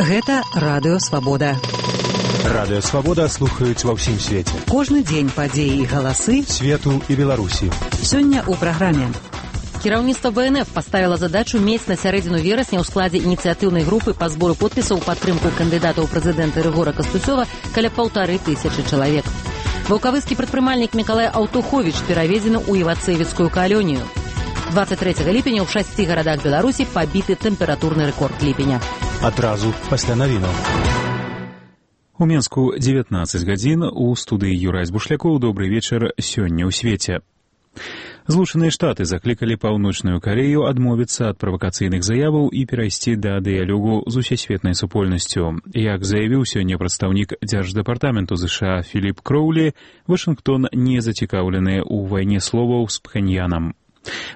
Гэта радыё Свабода. Радыё Свабода слухаюць ва ўсім свеце. Кожны дзень падзеі і галасы свету і Беларусі. Сёння ў праграме. Кіраўніцтва БНФ паставіла задачу мець на сярэдзіну верасня ў складзе ініцыятыўнай групы па збору подпісаў падтрымку кандыдата ў прэзідэнты Рыгора Кастуцёва каля 1500 чалавек. Ваўкавыскі прадпрымальнік Мікалай Аўтуховіч пераведзены ў івацэвіцкую калонію. 23 ліпеня ў 6 гарадах Беларусі пабіты тэмпературны рэкорд ліпеня. Адразу пасля навінаў. У Менску 19 гадзін, у студыі Юрай Збушлякоў. Добрый вечар сёння ў свеце. Злучаныя Штаты заклікалі Паўночную Карею адмовіцца ад правакацыйных заяваў і перайсці да дыялогу з усесветнай супольнасцю. Як заявіў сёння прадстаўнік Дзярждэпартаменту США Філіп Кроўлі, Вашынгтон не зацікаўлены ў вайне словаў з Пхеньянам.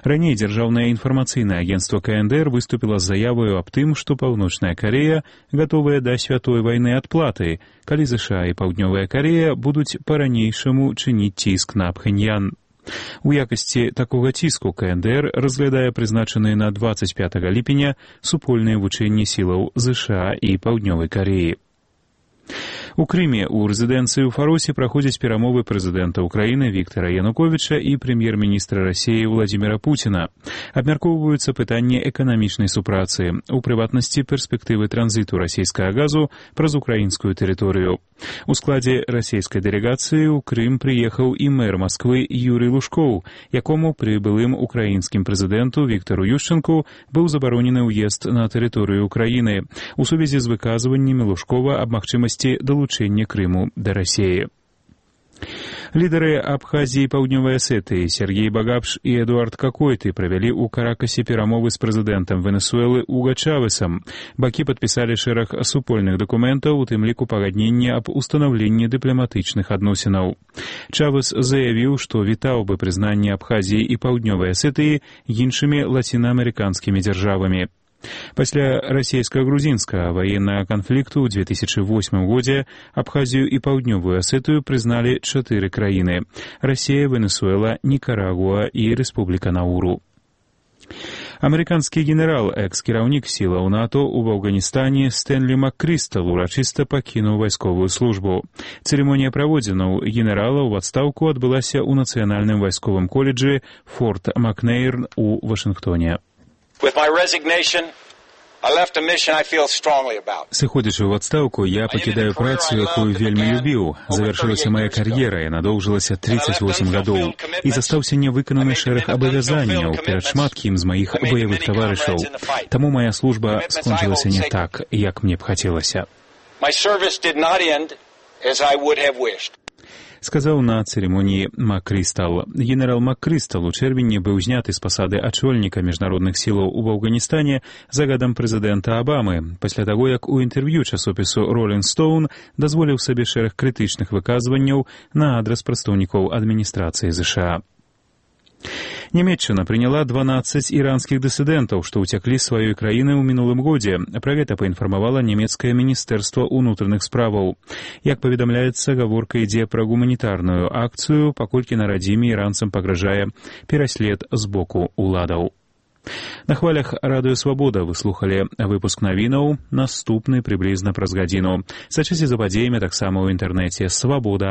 Раней Дзяржаўнае інфармацыйнае агенцтва КНДР выступіла з заяваю аб тым, што Паўночная Карея гатовая да святой вайны адплаты, калі США і Паўднёвая Карея будуць па-ранейшаму чыніць ціск на Пхеньян. У якасці такога ціску КНДР разглядае прызначаныя на 25 ліпеня супольныя вучэнні сілаў США і Паўднёвай Кареі. У Крыме ў рэзідэнцыі ў Фаросе праходзяць перамовы прэзідэнта ўкраіны Віктара Януковіча і прэм'ер-міністра Расіі Владзіміра Пуціна. Абмяркоўваюцца пытанні эканамічнай супрацы, у прыватнасці перспектывы транзіту расійскага газу праз украінскую тэрыторыю. У складзе расійскай дэлегацыі ў Крым прыехаў і мэр Масквы Юрый Лужкоў, якому пры былым украінскім прэзідэнту Віктару Ющэнку быў забаронены ўезд на тэрыторыю Украіны у сувязі з выказваннямі Лужкова аб магчымасці далучэння Крыму да Расіі. Лідары Абхазіі і Паўднёвай Асетыі Сергей Багапш і Эдуард Какойты правялі ў Каракасе перамовы з прэзідэнтам Венесуэлы Уга Чавесам. Бакі падпісалі шэраг супольных дакументаў, у тым ліку пагаднення аб устанаўленні дыпламатычных адносінаў. Чавес заявіў, што вітаў бы прызнанне Абхазіі і Паўднёвай Асетыі іншымі лацінаамерыканскімі дзяржавамі. Пасля расійска-грузінскага ваеннага канфлікту ў 2008 годзе Абхазію і Паўднёвую Асетыю прызналі 4 краіны – Расія, Венесуэла, Нікарагуа і Рэспубліка Науру. Амерыканскі генерал, экс-кіраўнік сілаў НАТО ў Афганістане Стэнлі Маккрыстал урачыста пакінуў вайсковую службу. Цырымонія праводзінаў генерала ў адстаўку адбылася ў Нацыянальным вайсковым коледжы Форт Макнейрн у Вашынгтоне. Сыходзячы ў адстаўку, я пакідаю працу, якую вельмі любіў. Завяршылася мая кар'ера, яна доўжылася 38 гадоў. І застаўся нявыкананы шэраг абавязанняў перад шматкім з маіх баявых таварышаў. Таму мая служба скончылася не так, як мне б хацелася. Сказаў на цырымоніі Маккрыстал. Генерал Маккрыстал у чэрвені быў зняты з пасады ачольніка міжнародных сілаў у Афганістане загадам прэзідэнта Абамы, пасля таго, як у інтэрв'ю часопісу Rolling Stone дазволіў сабе шэраг крытычных выказванняў на адрас прадстаўнікоў адміністрацыі США. Нямецчына прыняла 12 іранскіх дысідэнтаў, што ўцяклі з сваёй краіны ў мінулым годзе. Пра гэта паінфармавала нямецкае міністэрства ўнутраных справаў. Як паведамляецца, гаворка ідзе пра гуманітарную акцыю, паколькі на радзіме іранцам пагражае пераслед з боку ўладаў. На хвалях радыё Свабода вы слухалі выпуск навінаў, наступны прыблізна праз гадзіну. Сачыце за падзеямі таксама ў інтэрнэце Свабода.